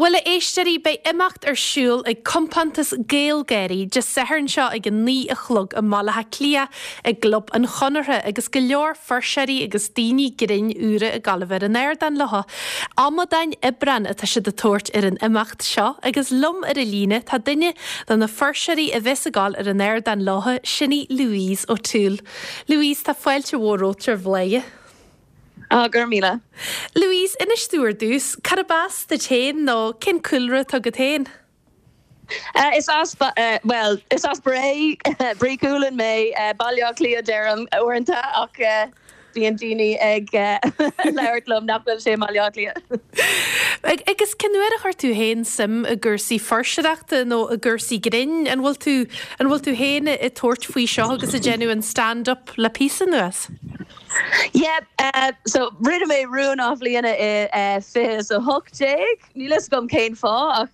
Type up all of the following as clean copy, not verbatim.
Bhuel, a éisteoirí, beidh imeacht ar siúl ag compántas GaelGÁIRÍ Dé Sathairn seo ag a 9 a chlog i mBaile Átha Cliath i gClub an Chonartha agus go leor fuirseoirí agus daoine grinn úra ag gabháil a bheith ar an ardán leo. Amadáin Aibreáin atá siad ag tabhairt ar an imeacht seo agus liom ar an líne tá duine de na fuirseoirí a bheas ag gabháil ar an ardán leo, sin í Louise O'Toole. Louise, tá fáilte mhór romhat ar Bhladhaire. Á, go raibh míle. Louise, inis domh ar dtús, cárb as duit féin nó cén cúlra atá agat féin? Is as, bhuel, is as Bré, Bré Cualann mé, Baile Átha Cliath deirim uaireanta ach bíonn daoine ag labhairt liom nach bhfuil sé i mBaile Átha Cliath. Agus cén uair a chuir tú féin suim i gcúrsaí fuirseoireachta nó i gcúrsaí grinn? An bhfuil tú, an bhfuil tú féin ag tabhairt faoi seo agus ag déanamh an stand-up le píosa anuas? Yeah, so rinne mé rún athbhliana i 2018, níl fhios agam cén fáth ach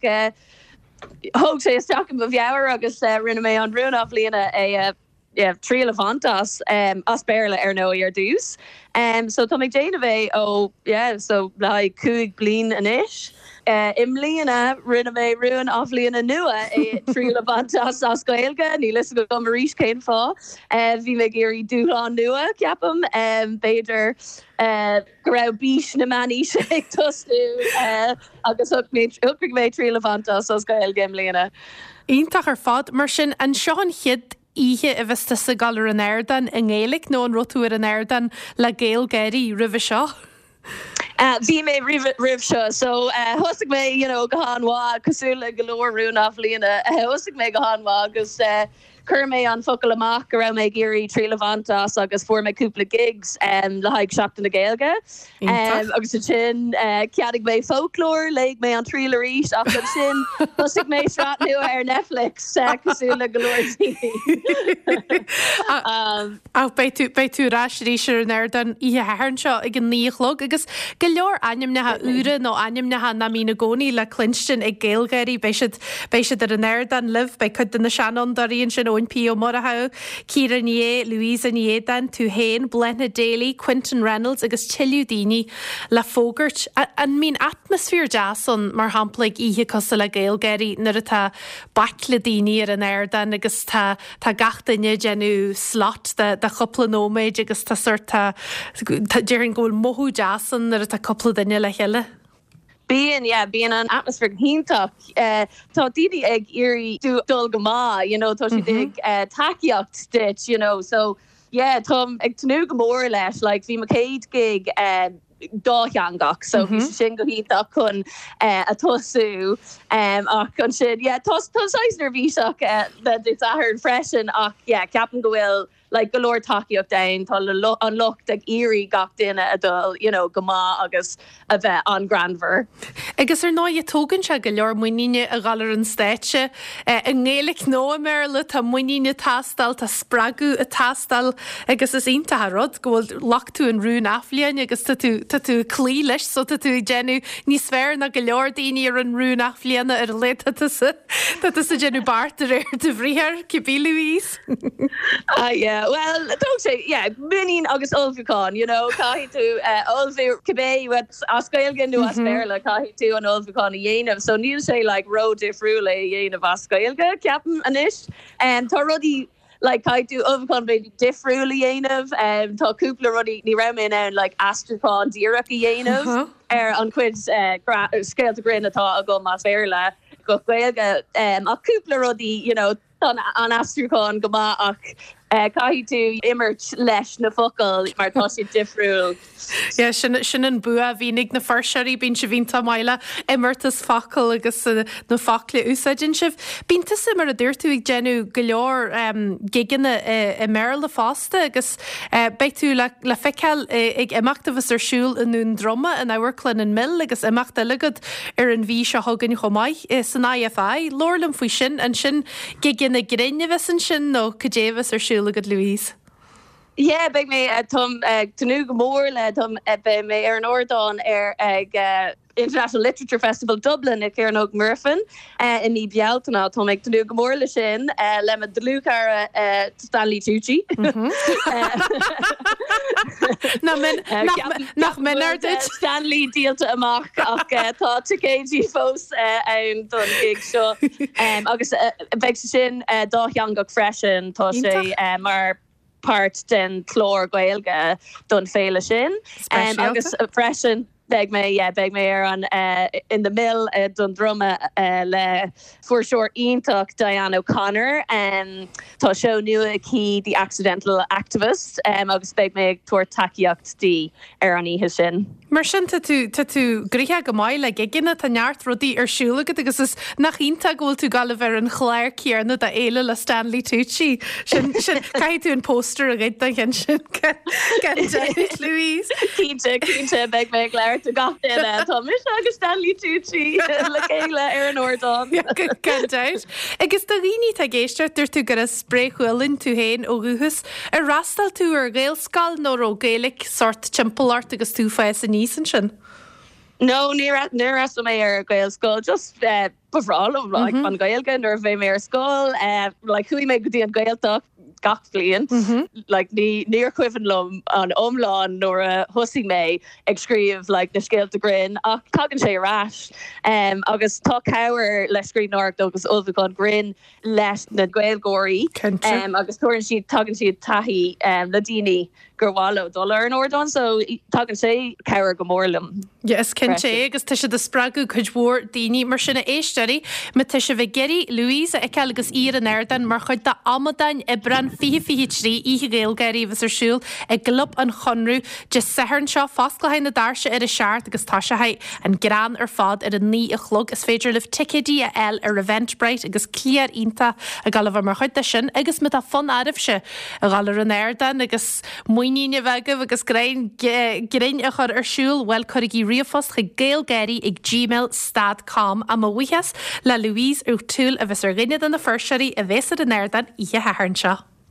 thóg sé isteach i mo mheabhair agus rinne mé an rún athbhliana é yeah, triail a bhaint as, as Béarla ar ndóigh ar dtús. So tá mé ag déanamh é ó yeah, so le haghaidh 5 bliain anois. I mbliana rinne mé rún athbhliana nua é triail a bhaint as as Gaeilge, níl fhios agam arís cén fáth. Bhí mé ag iarraidh dúshlán nua, ceapaim. B'fhéidir go raibh bís na meánaoise ag tosnú agus shocraigh mé triail a bhaint as as Gaeilge i mbliana. Iontach ar fad. Mar sin, an seo an chéad oíche a bheas tusa ag dul ar an ardán i nGaeilge nó an raibh tú ar an ardán le GaelGÁIRÍ roimhe seo? Bhí mé roimh seo so thosaigh mé you know go han-mhaith cosúil le go leor rún athbhliana thosaigh mé go han-mhaith agus chuir mé an focal amach go raibh mé ag iarraidh triail a bhaint as agus fuair mé cúpla gigs le haghaidh Seachtain na Gaeilge agus ansin cheannaigh mé foclóir, léigh mé an triail arís ach ansin thosaigh mé sraith nua ar Netflix cosúil le go leor daoine. Ach beidh tú, beidh tú ar ais arís ar an ardán oíche Shathairn seo ag a 9 a chlog agus go leor ainmneacha úra nó ainmneacha nach mbíonn i gcónaí le cluinstin ag GaelGÁIRÍ, beidh siad, beidh siad ar an ardán libh, beidh cuid de na seanfhondúirí ansin, Eoin P Ó Murchú, Ciara Ní É, Louisa Ní Éadáin, tú féin, Bláthnaid Daly, Quinton Reynolds agus tuilleadh daoine le fógairt. An mbíonn atmaisféar deas ann, mar shampla ag oíche cosúil le GaelGÁIRÍ nuair atá baicle daoine ar an ardán agus tá Tá gach duine ag déanamh slot de de chúpla nóiméid agus tá sórt, tá, tá, déarfainn go bhfuil mothú deas ann nuair atá cúpla duine le chéile. Bíonn, yeah, bíonn an atmaisféar go hiontach. Tá daoine ag iarraidh dul go maith, you know, tá siad ag tacaíocht duit, you know, so yeah, táim ag tnúth go mór leis, like bhí mo chéad gig dátheangach so bhí sé sin go hiontach chun a tosú ach ansin yeah tá tá saghas neirbhíseach le Dé Sathairn freisin ach yeah ceapaim go bhfuil like go leor tacaíocht ann tá an lucht ag iarraidh gach duine a dul you know go maith agus a bheith an-greannmhar. Agus ar ndóigh tógann sé go leor muiníne a dhul ar an stáitse i nGaeilge nó i mBéarla, tá muinín ag teastáil, tá spreagadh ag teastáil agus is iontach an rud go bhfuil, ghlac tú an rún athbhliana agus tá tú, tá tú ag cloí leis so tá tú ag déanamh níos fearr ná go leor daoine a rinne rún athbhliana ar a laghad tá tusa, tá tusa ag déanamh beart de réir do bhriathair, cibé Louise. Ah yeah, well tóg sé, yeah, muinín agus ullmhúchán, you know, caithfidh tú ullmhú cibé as Gaeilge nó as Béarla, caithfidh tú an ullmhúchán a dhéanamh, so níl sé like ró-difriúil é a dhéanamh as Gaeilge, ceapaim anois. Tá rudaí like caithfidh tú ullmhúchán b'fhéidir difriúil a dhéanamh, tá cúpla rudaí, ní raibh mé in ann like aistriúchán díreach a dhéanamh ar an chuid scéalta grinn atá agam as Béarla go Gaeilge, ach cúpla rudaí, you know, Tá an aistriúchán go maith ach caithfidh tú imirt leis na focail mar tá siad difriúil. Yeah, sin, sin an bua a bhíonn ag na fuirseoirí, bíonn sibh iontach maith le imeartas focal agus na focla a úsáideann sibh. Bíonn tusa, mar a dúirt tú, ag déanamh go leor gigeanna i mBéarla fosta agus beidh tú le, le feiceáil ag imeacht a bheas ar siúl i nDún Droma in Amharclann an Mill agus imeacht eile agat ar an mhí seo chugainn chomh maith, san IFI. Labhair liom faoi sin. An sin gigeanna grinn a bheas ansin nó cad é a bheas ar siúl agat Louise? Yeah, beidh mé, táim ag tnúth go mór le, táim, beidh mé ar an ardán ar ag International Literature Festival Dublin i Cearnóg Mhuirfean i mí Bealtaine. Táim ag tnúth go mór le sin le mo dhlúthchara Stanley Tucci. Nach méanar duit? Stanley díolta amach ach tá ticéidí fós ann don gig seo agus beidh sé sin dátheangach freisin. Tá sé mar páirt den chlár Gaeilge don féile sin. Agus freisin beidh mé, yeah, beidh mé ar an in the mill don druma le fuirseoir iontach Diane O'Connor. Tá seó nua aici The Accidental Activist agus beidh mé ag tabhairt tacaíocht di ar an oíche sin. Mar sin tá tú, tá tú gnoitheach go maith le gigeanna, tá neart rudaí ar siúl agat agus is, nach iontach go bhfuil tú ag gabháil a bheith ar an chlár céanna do fhéile le Stanley Tucci. Sin, sin, caithfidh tú an póster a ghoid don cheann sin gan dabht, Louise. Cinnte, cinnte, beidh mé ag labhairt do gach duine. Tá mise agus Stanley Tucci le chéile ar an ardán. Gan dabht. Agus do dhaoine atá ag éisteacht, dúirt tú gur as Bré Chualann tú féin ó dhúchas. Ar fhreastail tú ar Ghaelscoil nó raibh Gaeilge sórt timpeall ort agus tú ag fás aníos ansin? No, níor fhreastail mé ar Ghaelscoil, just ba bhreá liom like an Ghaeilge nuair a bhí mé ar scoil, like chuaigh mé go dtí an Ghaeltacht gach bliain, like ní níor chuimhin liom an iomlán nuair a thosaigh mé ag scríobh like na scéalta grinn ach tagann sé ar ais agus tá cabhair le scríbhneoireacht agus ullmhúchán grinn leis na Gaeilgeoirí agus tabharann siad, tagann siad taithí le daoine gur mhaith leo dul ar an ardán so tagann sé cabhair go mór liom. Yeah, is cinnte é agus tá siad ag spreagadh cuid mhór daoine mar sin a éisteoirí, má tá sibh ag iarraidh Louise a fheiceáil agus í ar an ardán mar chuid de Amadáin Aibreán 2023, Oíche Ghaelgáirí a bheas ar siúl i gClub an Chonradh Dé Sathairn seo, fosclóidh na doirse ar a seacht agus toiseoidh an greann ar fad ar a 9 a chlog. Is féidir libh ticéidí a fháil ar Eventbrite agus cliar iontach ag dul a bheith mar chuid de sin agus má tá fonn oraibhse a dhul ar an ardán agus muinín a bheith agaibh agus greann grinn a chur ar siúl, bhuel cuirigí ríomhphost chuig gaelgáirí ag gmail stad com. Á mo bhuíochas le Louise O'Toole a bheas ar dhuine de na fuirseoirí a bheas ar an ardán oíche Shathairn seo.